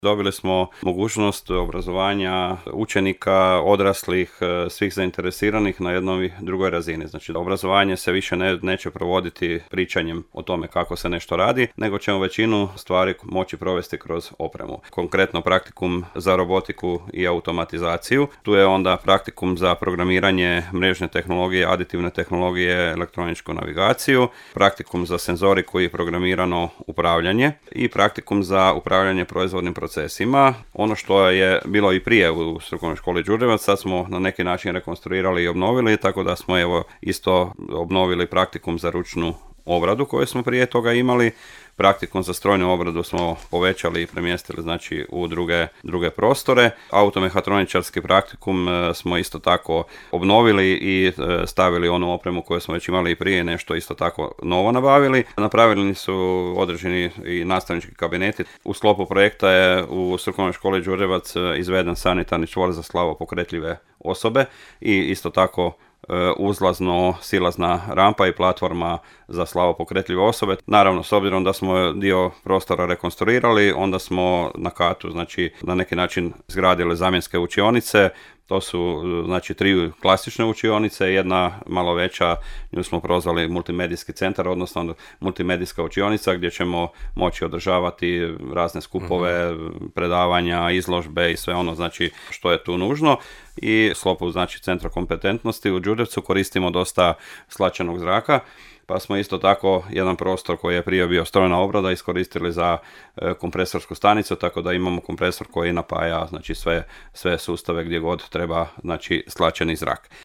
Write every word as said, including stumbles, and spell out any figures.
Dobili smo mogućnost obrazovanja učenika, odraslih, svih zainteresiranih na jednoj drugoj razini. Znači, obrazovanje se više ne, neće provoditi pričanjem o tome kako se nešto radi, nego ćemo većinu stvari moći provesti kroz opremu. Konkretno praktikum za robotiku i automatizaciju. Tu je onda praktikum za programiranje mrežne tehnologije, aditivne tehnologije, elektroničku navigaciju, praktikum za senzoriku i programirano upravljanje i praktikum za upravljanje proizvodnim procesima. procesima. Ono što je bilo i prije u strukovnoj školi Đurđevac, sad smo na neki način rekonstruirali i obnovili, tako da smo evo isto obnovili praktikum za ručnu obradu koju smo prije toga imali. Praktikum za strojnu obradu smo povećali i premjestili znači u druge, druge prostore. Automehatroničarski praktikum smo isto tako obnovili i stavili onu opremu koju smo već imali i prije, nešto isto tako novo nabavili. Napravili su određeni i nastavnički kabineti. U sklopu projekta je u strukovnoj školi Đurđevac izveden sanitarni čvor za slavopokretljive osobe i isto tako uzlazno silazna rampa i platforma za slavopokretljive osobe. Naravno, s obzirom da smo dio prostora rekonstruirali, onda smo na katu, znači na neki način izgradili zamjenske učionice. To su znači tri klasične učionice, jedna malo veća, nju smo prozvali multimedijski centar, odnosno multimedijska učionica gdje ćemo moći održavati razne skupove, uh-huh. predavanja, izložbe i sve ono znači što je tu nužno. I u sklopu znači centra kompetentnosti u Đurđevcu koristimo dosta slačenog zraka. Pa smo isto tako jedan prostor koji je prije bio strojna obrada iskoristili za e, kompresorsku stanicu, tako da imamo kompresor koji napaja znači sve, sve sustave gdje god treba znači slačeni zrak.